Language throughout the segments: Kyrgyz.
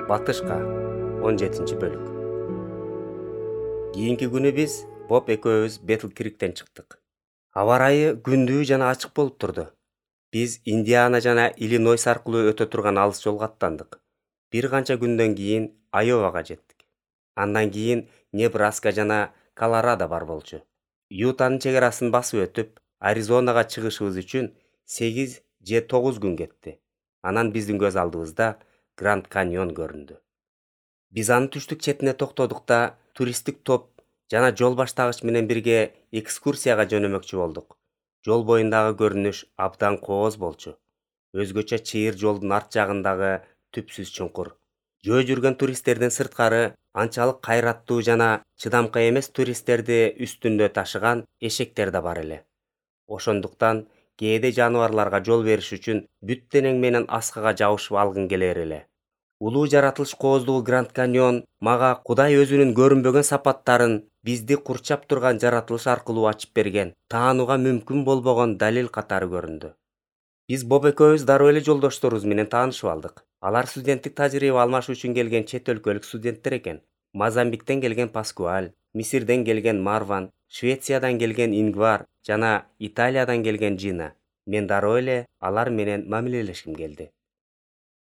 Батышка 17-бөлүк. Кийинки күнү биз Боб экөөбүз Бетл Криктен чыктык. Аба ырайы күндүү жана ачык болуп турду. Биз Индиана жана Иллинойс аркылуу өтө турган алыс жолго аттандык. Бир канча күндөн кийин Айовага жеттик. Андан кийин Небраска жана Колорадо бар болчу. Ютанын чек арасын басып өтүп, Аризонага чыгышыбыз үчүн 8 же 9 күн кетти. Анан биздин көз алдыбызда Гранд Каньон көрүндү. Биз анын түштүк четине токтодук да туристтик топ жана жол баштагыч менен бирге экскурсияга жөнөмөкчү болдук. Жол боюндагы көрүнүш абдан кооз болчу. Өзгөчө чыйыр жолдун арт жагындагы түпсүз чуңкур. Жөө жүргөн туристтердин сырткары анчалык кайраттуу жана чыдамкай эмес туристтерди үстүндө ташыган эшектер да бар эле. Ошондуктан кээде жаныбарларга жол бериш үчүн бүт денең менен аскага жабышып алгың келер эле. Улуу жаратылыш кооздугу Гранд Каньон мага Кудай өзүнүн көрүнбөгөн сапаттарын бизди курчап турган жаратылыш аркылуу ачып берген, таанууга мүмкүн болбогон далил катары көрүндү. Биз Боб экөөбүз дароо эле жолдошторубуз менен таанышып алдык. Алар студенттик тажрыйба алмашуу үчүн келген чет өлкөлүк студенттер экен. Мозамбиктен келген Паскуаль, Мисирден келген Марван, Швециядан келген Ингвар жана Италиядан келген Жина. Мен дароо эле алар менен мамилелешким келди.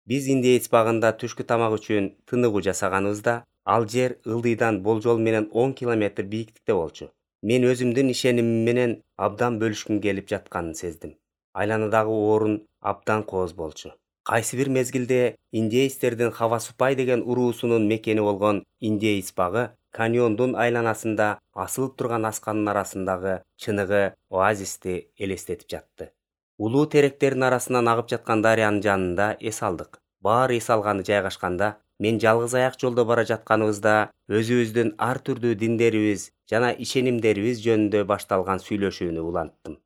Биз индеец багында түшкү тамак үчүн тыныгуу жасаганыбызда, ал жер ылдыйдан болжол менен 10 километр бийиктикте болчу. Мен өзүмдүн ишенимим менен абдан бөлүшкүм келип жатканын сездим. Айланадагы орун абдан кооз болчу. Кайсы бир мезгилде индеецтердин Хавасупай деген уруусунун мекени болгон индеец багы каньондун айланасында асылып турган асканын арасындагы чыныгы оазисти элестетип жатты. Улуу теректердин арасынан агып жаткан дарыянын жанында эс алдык. Баары эс алганы жайгашканда, мен жалгыз аяк жолдо бара жатканыбызда өзүбүздүн ар түрдүү диндерибиз жана ишенимдерибиз жөнүндө башталган сүйлөшүүнү уланттым.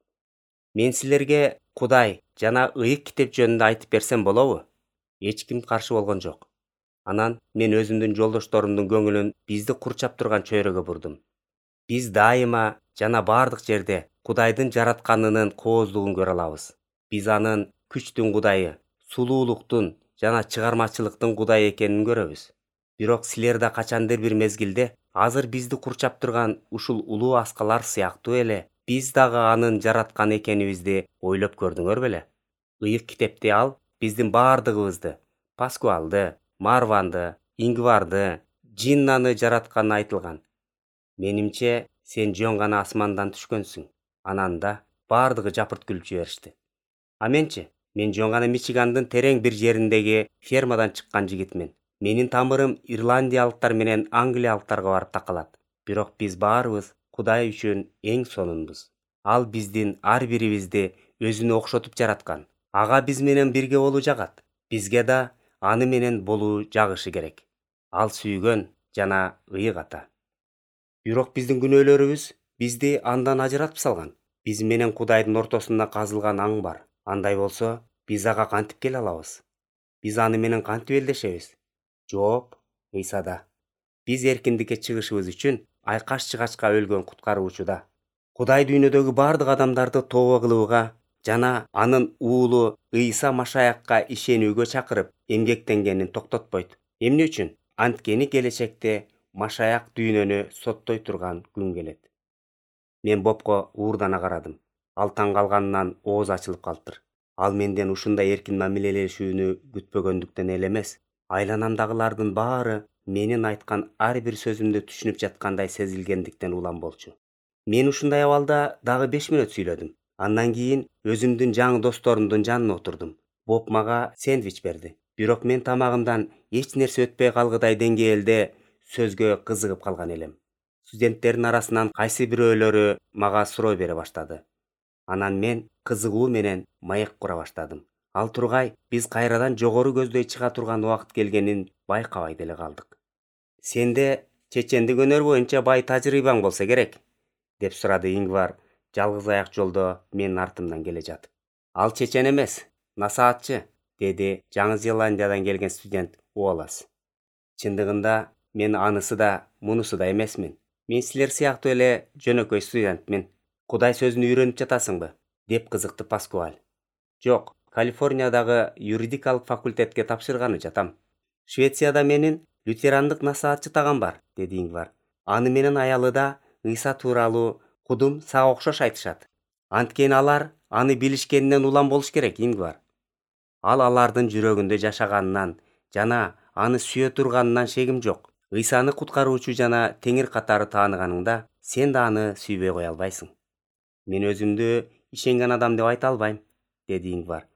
Мен силерге Кудай жана ыйык китеп жөнүндө айтып берсем болобу? Эч ким каршы болгон жок. Анан мен өзүмдүн жолдошторумдун көңүлүн бизди курчап турган чөйрөгө бурдум. Биз дайыма жана бардык жерде Кудайдын жаратканынын кооздугун көрө алабыз. Биз анын күчтүн Кудайы, сулуулуктун жана чыгармачылыктын Кудайы экенин көрөбүз. Бирок силер да качандыр бир мезгилде азыр бизди курчап турган ушул улуу аскалар сыяктуу эле биз дагы анын жараткан экенибизди ойлоп көрдүңөр беле? Ыйык китепте ал биздин бардыгыбызды, Паскуалды, Марванды, Ингварды, Джиннаны жаратканы айтылган. Менимче, сен жөн гана асмандан түшкөнсүң. Анан да бардыгы жапырт күлүп жиберишти. А менчи? Мен жөн гана Мичигандын терең бир жериндеги фермадан чыккан жигитмин. Менин тамырым ирландиялыктар менен англиялыктарга барып такалат. Бирок биз баарыбыз Кудай үчүн эң сонунбуз. Ал биздин ар бирибизди өзүнө окшотуп жараткан. Ага биз менен бирге болуу жагат. Бизге да аны менен болуу жагышы керек. Ал сүйгөн жана ыйык ата. Бирок биздин күнөөлөрүбүз бизди андан ажыратып салган. Биз менен Кудайдын ортосунда казылган аң бар. Андай болсо, биз ага кантип келе алабыз? Биз аны менен кантип элдешебиз? Жооп Ыйсада. Биз эркиндикке чыгышыбыз үчүн айкаш-чыгачка өлгөн куткаруучуда. Кудай дүйнөдөгү бардык адамдарды тобо кылууга жана анын уулу Ыйса Машаякка ишенүүгө чакырып, эмгектенгенин токтотпойт. Эмне үчүн? Анткени келечекте Машаяк дүйнөнү соттой турган күн келет. Мен Бобко уурдана карадым. Ал таң калганынан ооз ачылып калыптыр. Ал менден ушундай эркин мамилелешүүнү күтпөгөндүктөн эле эмес, айланамдагылардын баары менин айткан ар бир сөзүмдү түшүнүп жаткандай сезилгендиктен улам болчу. Мен ушундай абалда дагы 5 мүнөт сүйлөдүм. Андан кийин өзүмдүн жаңы досторумдун жанына отурдум. Боб мага сэндвич берди. Бирок мен тамагымдан эч нерсе өтпөй калгыдай деңгээлде сөзгө кызыгып калган элем. Студенттердин арасынан кайсы бирөөлөрү мага суроо бере баштады. Анан мен кызыгуу менен маек кура баштадым. Ал тургай биз кайрадан жогору көздөй чыга турган убакыт келгенин байкабай деле калдык. Сенде чечендик өнөр боюнча бай тажрыйбаң болсо керек, деп сурады Ингвар жалгыз аяк жолдо менин артымдан келе жатып. Ал чечен эмес, насаатчы, деди Жаңы Зеландиядан келген студент Уолас. Чындыгында мен анысы да, мунусу да эмесмин. Мен силер сыяктуу эле жөнөкөй студентмин. Кудай сөзүн үйрөнүп жатасыңбы? Деп кызыкты Паскуаль. Жок, Калифорниядагы юридикалык факультетке тапшырганы жатам. Швецияда менин лютерандык насаатчы тагам бар, деди Ингвар. Аны менен аялы да Ыйса тууралуу кудум сага окшош айтышат. Анткени алар аны билишкенинен улам болуш керек, Ингвар. Ал алардын жүрөгүндө жашаганынан жана аны сүйө турганынан шегим жок. Ыйсаны куткаруучу жана теңир катары тааныганыңда сен да аны сүйбөй кое албайсың. Мен өзүмдү ишенген адам деп айта албайм, деди Ингвар.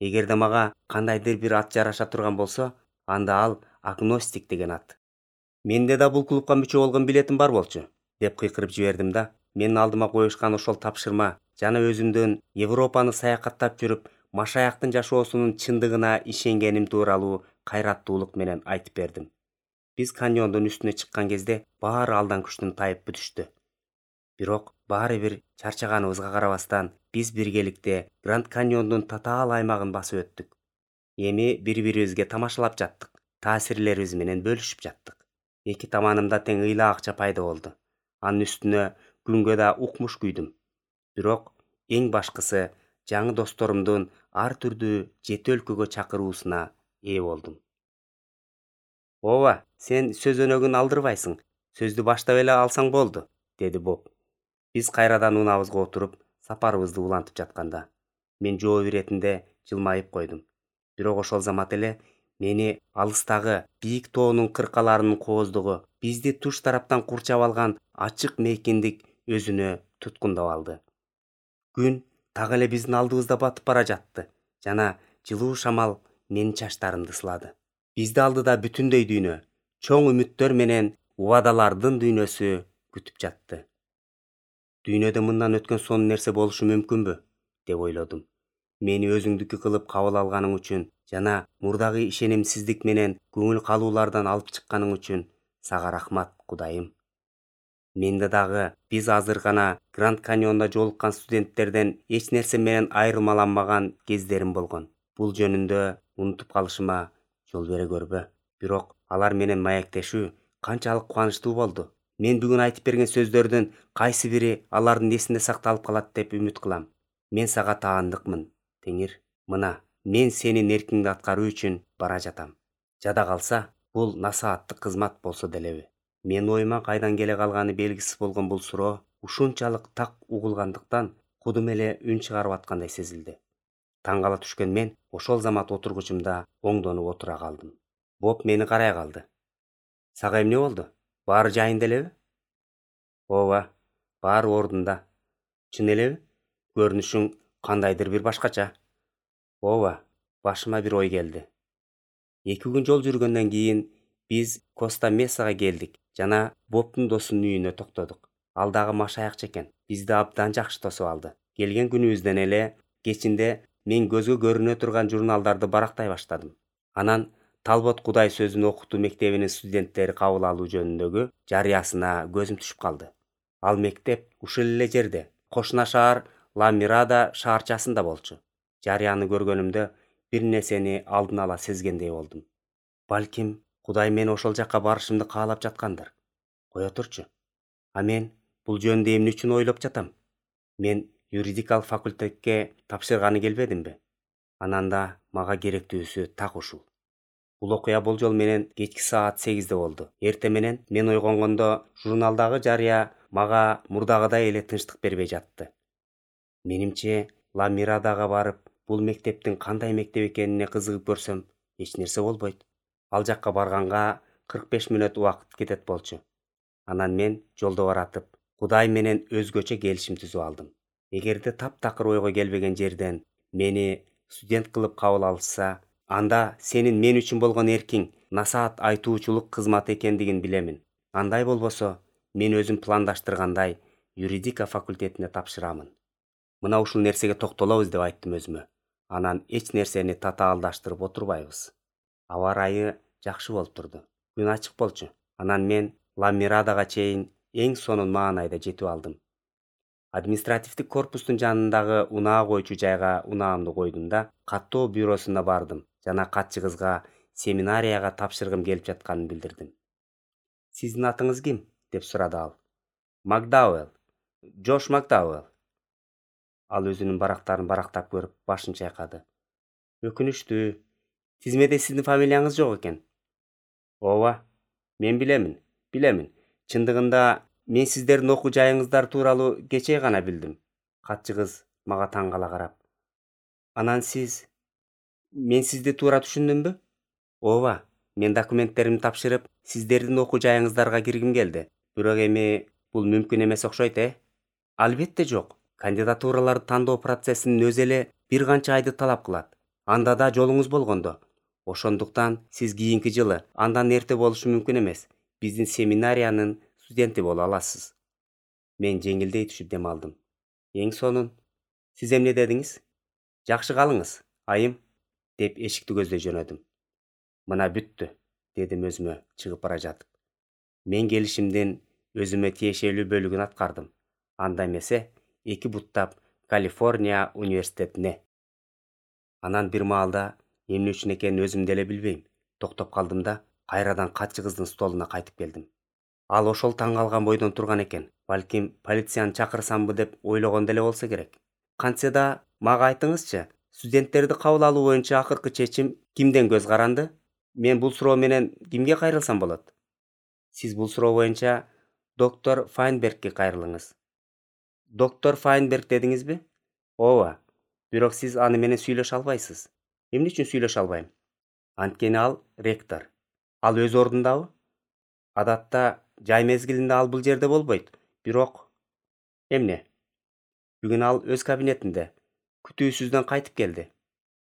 Эгерде мага кандайдыр бир ат жараша турган болсо, анда ал агностик деген ат. Менде да бул клубка мүчө болгон билетим бар болчу, деп кыйкырып жибердим да. Менин алдыма коюшкан ошол тапшырма жана өзүмдүн Европаны саякаттап жүрүп Машаяктын жашоосунун чындыгына ишенгеним тууралуу кайраттуулук менен айтып бердим. Биз каньондун үстүнө чыккан кезде баары алдан күчтөн тайып бүтүштү. Бирок баары бир чарчаганыбызга карабастан биз биргеликте Гранд каньондун татаал аймагын басып өттүк. Эми бири-бирибизге тамашалап жаттык, таасирлерибиз менен бөлүшүп жаттык. Эки таманымда тең ыйла акча пайда болду. Анын үстүнө күнгө да укмуш күйдүм. Бирок эң башкысы жаңы досторумдун ар түрдүү 7 өлкөгө чакыруусуна ээ болдум. Ооба, сен сөз өнөгүн алдырбайсың. Сөздү баштап эле алсаң болду, деди Боб. Биз кайрадан унаабызга отуруп, сапарыбызды улантып жатканда, мен жооп иретинде жылмайып койдум. Бирок ошол замат эле мени алыстагы бийик тоонун кыркаларынын кооздугу, бизди туш тараптан курчап алган ачык мейкиндик өзүнө туткундап алды. Күн так эле биздин алдыбызда батып бара жатты жана жылуу шамал менин чачтарымды сылады. Бизди алдыда бүтүндөй дүйнө, чоң үмүттөр менен убадалардын дүйнөсү күтүп жатты. Дүйнөдө мындан өткөн сонун нерсе болушу мүмкүнбү, деп ойлодум. Мени өзүңдүкү кылып кабыл алганың үчүн жана мурдагы ишенимсиздик менен көңүл калуулардан алып чыкканың үчүн сага рахмат, Кудайым. Менде дагы биз азыр гана Гранд каньонда жолуккан студенттерден эч нерсе менен айырмаланмаган кездерим болгон. Бул жөнүндө унутуп калышыма жол бере көрбө. Бирок алар менен маектешүү канчалык кубанычтуу болду. Мен бүгүн айтып берген сөздөрдүн кайсы бири алардын эсинде сакталып калат деп үмүт кылам. Мен сага таандыкмын, Теңир. Мына, мен сенин эркиңди аткаруу үчүн бара жатам. Жада калса, бул насааттык кызмат болсо делеби. Мен оюма кайдан келе калганы белгисиз болгон бул суроо ушунчалык так угулгандыктан кудум эле үн чыгарып аткандай сезилди. Таң кала түшкөн мен ошол замат отургучумда оңдонуп отура калдым. Боб мени карай калды. Сага эмне болду? Баары жайында элеби? Ооба, баары ордунда. Чын элеби? Көрүнүшүң кандайдыр бир башкача. Ооба, башыма бир ой келди. 2 күн жол жүргөндөн кийин биз Коста Месага келдик жана Бобдун досунун үйүнө токтодук. Ал дагы машаякчы экен. Бизди абдан жакшы тосуп алды. Келген күнүбүздөн эле кечинде мен көзгө көрүнө турган журналдарды барактай баштадым. Анан Талбот Кудай сөзүн окутуу мектебинин студенттери кабыл алуу жөнүндөгү жарыясына көзүм түшүп калды. Ал мектеп ушул эле жерде, кошуна шаар Ла Мирада шаарчасында болчу. Жарыяны көргөнүмдө бир нерсени алдын ала сезгендей болдум. Балким Кудай мени ошол жакка барышымды каалап жаткандыр. Кое турчу. А мен бул жөнүндө эмне үчүн ойлоп жатам? Мен юридикалык факультетке тапшырганы келбедимби? Анан да мага керектүүсү так ушул. Бул окуя болжол менен кечки саат 8-де болду. Эртең менен мен ойгонгондо журналдагы жарыя мага мурдагыдай эле тынчтык бербей жатты. Менимче, Ла Мирадага барып, бул мектептин кандай мектеп экенине кызыгып көрсөм, эч нерсе болбойт. Ал жакка барганга 45 мүнөт убакыт кетет болчу. Анан мен жолдо баратып, Кудай менен өзгөчө келишим түзүп алдым. Эгерде таптакыр ойго келбеген жерден мени студент кылып кабыл алышса, анда сенин мен үчүн болгон эркиң насаат айтуучулук кызматы экендигин билемин. Андай болбосо, мен өзүм пландаштыргандай юридика факультетине тапшырамын. Мына ушул нерсеге токтолобуз деп айттым өзүмө. Анан эч нерсени татаалдаштырып отурбайбыз. Аба ырайы жакшы болуп турду. Күн ачык болчу. Анан мен Ла Мирадага чейин эң сонун маанайда жетип алдым. Административдик корпустун жанындагы унаа койчу жайга унаамды койдум да каттоо бюросуна бардым жана катчы кызга семинарияга тапшыргым келип жатканын билдирдим. Сиздин атыңыз ким? Деп сурады ал. Макдауэлл. Джош Макдауэлл. Ал өзүнүн барактарын барактап көрүп башын чайкады. Өкүнүчтүү. Тизмеде сиздин фамилияңыз жок экен. Ооба, мен билемин. Чындыгында мен сиздердин окуу жайыңыздар тууралуу кечээ гана билдим. Катчы кыз мага таң кала карап. Анан мен сизди туура түшүндүмбү? Ооба, мен документтеримди тапшырып, сиздердин окуу жайыңыздарга киргим келди. Бирок эми бул мүмкүн эмес окшойт, Албетте жок. Кандидатураларды тандоо процессинин өзү эле бир канча айды талап кылат. Анда да жолуңуз болгондо. Ошондуктан сиз кийинки жылы, андан эрте болушу мүмкүн эмес, биздин семинариянын студенти боло аласыз. Мен жеңилдей түшүп дем алдым. Эң сонун. Сиз эмне дедиңиз? Жакшы калыңыз, айым, деп эшикти көздөй жөнөдүм. Мына бүттү, дедим өзүмө чыгып бара жатып. Мен келишимдин өзүмө тиешелүү бөлүгүн аткардым. Анда эмесе, 2 буттап Калифорния университетине. Анан бир маалда эмне үчүн экенин өзүм деле билбейм. Токтоп калдым да, кайрадан катчы кыздын столуна кайтып келдим. Ал ошол таң калган бойдон турган экен. Балким полицияны чакырсамбы деп ойлогон деле болсо керек. Кантсе да мага айтыңызчы, студенттерди кабыл алуу боюнча акыркы чечим кимден көз каранды? Мен бул суроо менен кимге кайрылсам болот? Сиз бул суроо боюнча доктор Файнбергке кайрылыңыз. Доктор Файнберг дедиңизби? Ооба. Бирок сиз аны менен сүйлөшө албайсыз. Эмне үчүн сүйлөшө албайм? Анткени ал ректор. Ал өз ордундабы? Адатта жай мезгилинде ал бул жерде болбойт. Бирок эмне? Бүгүн ал өз кабинетинде күтүүсүздөн кайтып келди.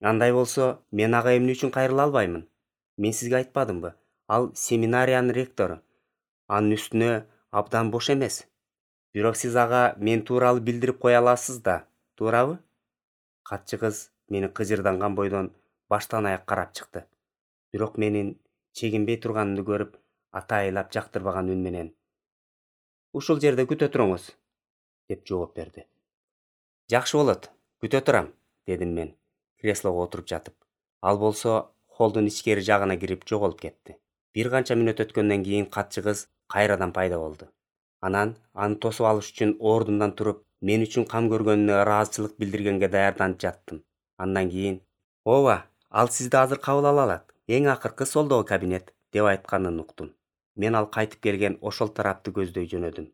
Андай болсо, мен ага эмне үчүн кайрыла албаймын? Мен сизге айтпадымбы? Ал семинариянын ректору. Анын үстүнө абдан бош эмес. Бирок сиз ага мен тууралуу билдирип кое аласыз да, туурабы? Катчы кыз мени кыжырданган бойдон баштан аяк карап чыкты. Бирок менин чегинбей турганымды көрүп, атайылап жактырбаган үн менен: "Ушул жерде күтө туруңуз", деп жооп берди. "Жакшы болот, күтө турам", дедим мен, креслого отуруп жатып. Ал болсо холдун ичкери жагына кирип жоголуп кетти. Бир канча мүнөт өткөндөн кийин катчы кыз кайрадан пайда болду. Анан аны тосуп алыш үчүн ордумдан туруп, мен үчүн кам көргөнүнө ыраазычылык билдиргенге даярданып жаттым. Андан кийин: "Ооба, ал сизди азыр кабыл ала алат. Эң акыркы солдогу кабинет", деп айтканын уктум. Мен ал кайтып келген ошол тарапты көздөй жөнөдүм.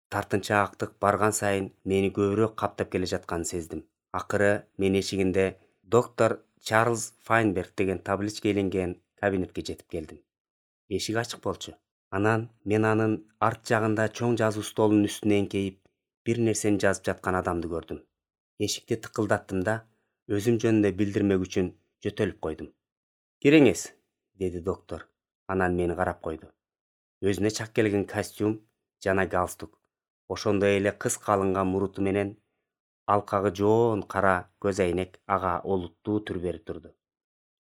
Тартынчаактык барган сайын мени көбүрөөк каптап келе жатканын сездим. Акыры мен эшигинде доктор Чарльз Файнберг деген табличка иленген кабинетке жетип келдим. Эшик ачык болчу. Анан мен анын арт жагында чоң жазуу столунун үстүнө эңкейип, бир нерсени жазып жаткан адамды көрдүм. Эшикти тыкылдаттым да, өзүм жөнүндө билдирмек үчүн жөтөлүп койдум. "Кириңиз", деди доктор. Анан мени карап койду. Өзүнө чак келген костюм жана галстук, ошондой эле кыска алынган муруту менен алкагы жоон кара көз айнек ага олуттуу түр берип турду.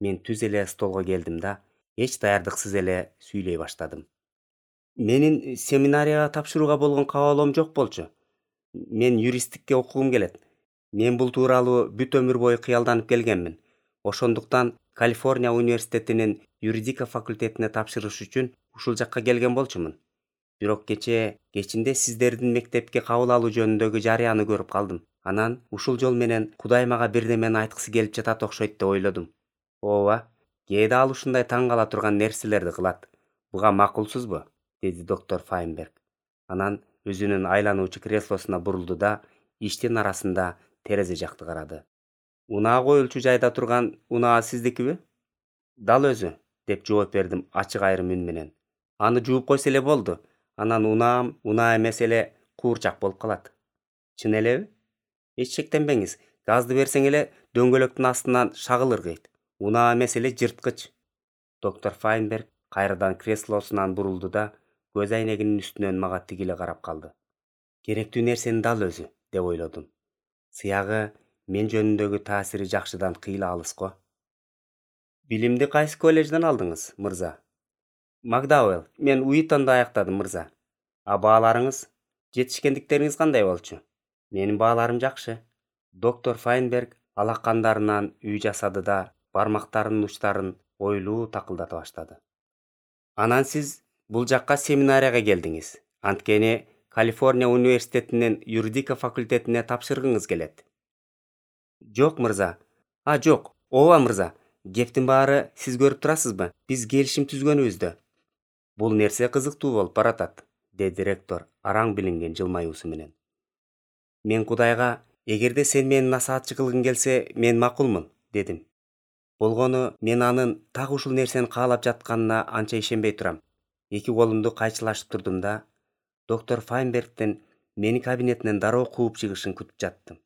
Мен түз эле столго келдим да, эч даярдыксыз эле сүйлөй баштадым. "Менин семинарияга тапшырууга болгон кабылоом жок болчу. Мен юристтикке окугум келет. Мен бул тууралуу бүт өмүр бою кыялданып келгенмин. Ошондуктан Калифорния университетинин юридика факультетине тапшырыш үчүн ушул жакка келген болчумун. Бирок кечинде сиздердин мектепке кабыл алуу жөнүндөгү жарыяны көрүп калдым. Анан ушул жол менен Кудай мага бирдемени айткысы келип жатат окшойт деп ойлодум." "Ооба, кээде ал ушундай таң кала турган нерселерди кылат. Буга макулсузбу?" деди доктор Файнберг. Анан өзүнүн айлануучу креслосуна бурулду да, иштин арасында терезе жакты карады. "Унаа коюлчу жайда турган унаа сиздикиби?" "Дал өзү", деп жооп бердим ачык айрым үн менен. "Аны жууп койсо эле болду. Анан унаам унаа эмес эле куурчак болуп калат." "Чын элеби?" "Эч шектенбеңиз, газды берсең эле дөңгөлөктүн астынан шагыл ыргыйт. Унаа эмес эле жырткыч." Доктор Файнберг кайрадан креслосунан бурулду да, көз айнегинин үстүнөн мага тигиле карап калды. Керектүү нерсенин дал өзү, деп ойлодум. Сыягы мен жөнүндөгү таасири жакшыдан кыйла алыс го. "Билимди кайсы коллежден алдыңыз, мырза?" "Макдауэлл, мен Уитонду аяктадым, мырза." "А бааларыңыз? Жетишкендиктериңиз кандай болчу?" "Менин бааларым жакшы." Доктор Файнберг алакандарынан үй жасады да, бармактарынын учтарын ойлуу такылдата баштады. "Анан сиз бул жакка семинарияга келдиңиз. Анткени Калифорния университетинин юридика факультетине тапшыргыңыз келет." "Жок, мырза." Жок. Ооба, мырза. Кептин баары сиз көрүп турасызбы? Биз келишим түзгөнүбүздө. Бул нерсе кызыктуу болуп баратат, деди ректор араң билинген жылмаюусу менен. Мен Кудайга, эгерде сен мени насаатчы кылгың келсе, мен макулмун, дедим. Болгону мен анын так ушул нерсени каалап жатканына анча ишенбей турам. Эки колумду кайчылашып турдум да, доктор Файнбергдин мени кабинетинен дароо кууп чыгышын күтүп жаттым.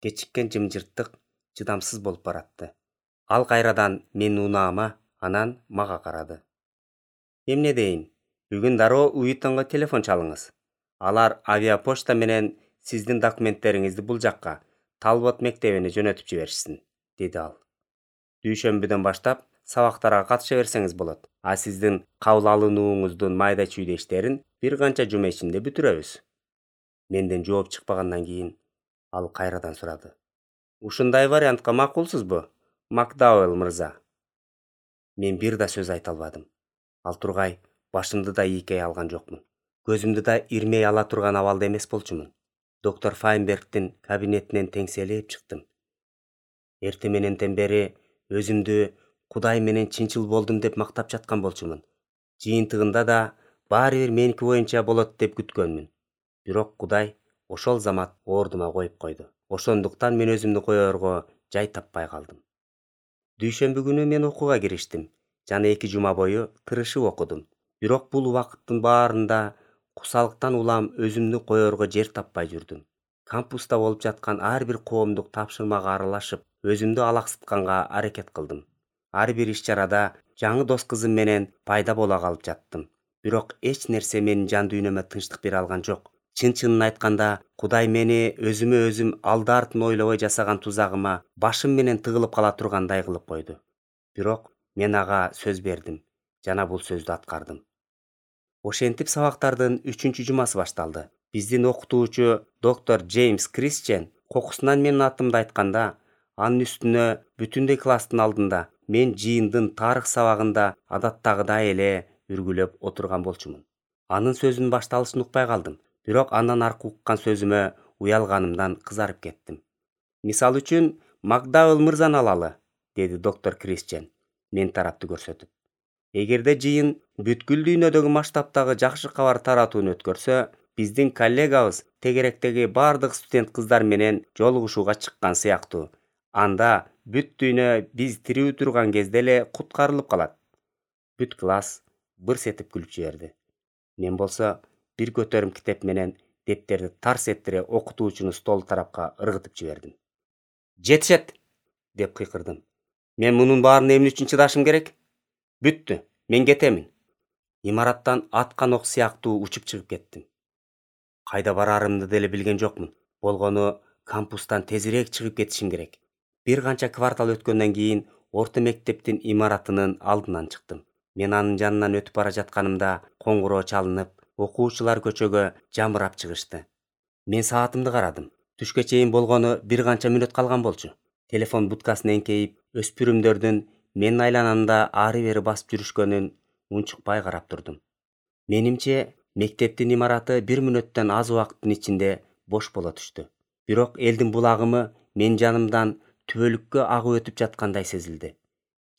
Кечиккен жымжырттык чыдамсыз болуп баратты. Ал кайрадан менин унаама, анан мага карады. Эмне дейин? Бүгүн дароо Уитонго телефон чалыңыз. Алар авиапочта менен сиздин документтериңизди бул жакка, Талбот мектебине жөнөтүп жиберишсин, деди ал. Дүйшөмбүдөн баштап сабактарга катыша берсеңиз болот. А сиздин кабыл алынууңуздун майда чүйдө иштерин бир канча жума ичинде бүтүрөбүз. Менден жооп чыкпагандан кийин ал кайрадан сурады. Ушундай вариантка макулсузбу, Макдауэлл мырза? Мен бир да сөз айта албадым. Ал тургай башымды да ийкей алган жокмун. Көзүмдү да ирмей ала турган абалда эмес болчумун. Доктор Файнбергдин кабинетинен теңселип чыктым. Эрте мененден бери өзүмдү Кудай менен чынчыл болдум деп мактап жаткан болчумун. Жыйынтыгында да баары бир меники боюнча болот деп күткөнмүн. Бирок Кудай ошол замат ордума коюп койду. Ошондуктан мен өзүмдү коерго жай таппай калдым. Дүйшөмбү күнү мен окууга кириштим жана 2 жума бою тырышып окудум. Бирок бул убакыттын баарында кусалыктан улам өзүмдү коерго жер таппай жүрдүм. Кампуста болуп жаткан ар бир коомдук тапшырмага аралашып, өзүмдү алаксытканга аракет кылдым. Ар бир иш-чарада жаңы дос кызым менен пайда бола калып жаттым. Бирок эч нерсе менин жан дүйнөмө тынчтык бере алган жок. Чын-чынын айтканда, Кудай мени өзүм алды-артын ойлобой жасаган тузагыма башым менен тыгылып кала тургандай кылып койду. Бирок мен ага сөз бердим жана бул сөздү аткардым. Ошентип сабактардын 3-чү жумасы башталды. Биздин окутуучу доктор Джеймс Кристиан кокусунан менин атымды айтканда, анын үстүнө бүтүндөй класстын алдында мен жыйындын тарых сабагында адаттагыдай эле үргүлөп отурган болчумун. Анын сөзүнүн башталышын укпай калдым. Бирок андан аркы уккан сөзүмө уялганымдан кызарып кеттим. Мисал үчүн, Макдауэлл мырзаны алалы, деди доктор Кристиан мен тарапты көрсөтүп. Эгерде жыйын бүткүл дүйнөдөгү масштабтагы жакшы кабар таратууну өткөрсө, биздин коллегабыз тегеректеги бардык студент кыздар менен жолугушууга чыккан сыяктуу. Анда бүт дүйнө биз тирүү турган кезде эле куткарылып калат. Бүт класс бырс этип күлүп жиберди. Мен болсо бир көтөрүм китеп менен дептерди тарс эттире окутуучуну стол тарапка ыргытып жибердим. Жетишет, деп кыйкырдым. Мен мунун баарына эмне үчүн чыдашым керек? Бүттү, мен кетемин. Имараттан аткан ок сыяктуу учуп чыгып кеттим. Кайда барарымды деле билген жокмун. Болгону кампустан тезирээк чыгып кетишим керек. Бир канча квартал өткөндөн кийин орто мектептин имаратынын алдынан чыктым. Мен анын жанынан өтүп бара жатканымда коңгуроо чалынып, окуучулар көчөгө жамырап чыгышты. Мен саатымды карадым. Түшкө чейин болгону бир канча мүнөт калган болчу. Телефон будкасына эңкейип, өспүрүмдөрдүн менин айланамда ары-бери басып жүрүшкөнүн унчукпай карап турдум. Менимче, мектептин имараты 1 мүнөттөн аз убакыттын ичинде бош боло түштү. Бирок элдин бул агымы менин жанымдан түбөлүккө агып өтүп жаткандай сезилди.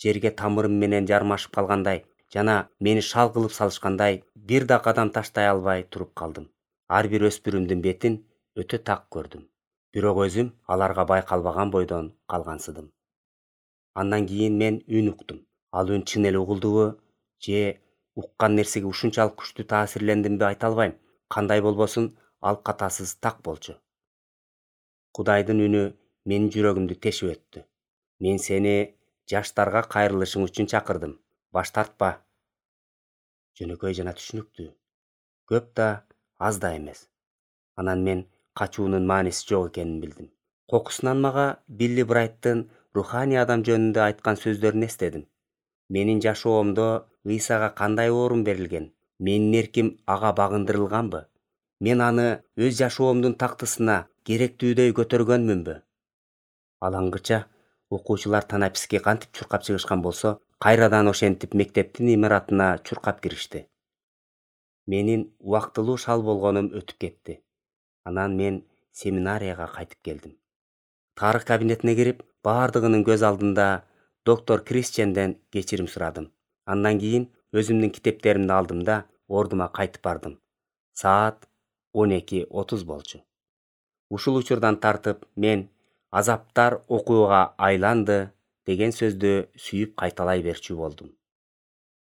Жерге тамырым менен жармашып калгандай жана мени шал кылып салышкандай бир да кадам таштай албай туруп калдым. Ар бир өспүрүмдүн бетин өтө так көрдүм. Бирок өзүм аларга байкалбаган бойдон калгансыдым. Андан кийин мен үн уктум. Ал үн чын эле угулдубу же уккан нерсеге ушунчалык күчтүү таасирлендимби айта албайм. Кандай болбосун, ал катасыз так болчу. Кудайдын үнү менин жүрөгүмдү тешип өттү. Мен сени жаштарга кайрылышың үчүн чакырдым. Баш тартпа. Жөнөкөй жана түшүнүктүү. Көп да, аз да эмес. Анан мен качуунун мааниси жок экенин билдим. Кокусунан мага Билли Брайттын руханий адам жөнүндө айткан сөздөрүн эстедим. Менин жашоомдо Ыйсага кандай орун берилген? Менин эрким ага багындырылганбы? Мен аны өз жашоомдун тактысына керектүүдөй көтөргөнмүнбү? Алаңгыча окуучулар танаписке кантип чуркап чыгышкан болсо, кайрадан ошентип мектептин имаратына чуркап киришти. Менин убактылуу шал болгонум өтүп кетти. Анан мен семинарияга кайтып келдим. Тарых кабинетине кирип, бардыгынын көз алдында доктор Кристианден кечирим сурадым. Андан кийин өзүмдүн китептеримди алдым да ордума кайтып бардым. Саат 12:30 болчу. Ушул учурдан тартып мен азаптар окууга айланды деген сөздү сүйүп кайталай берчү болдум.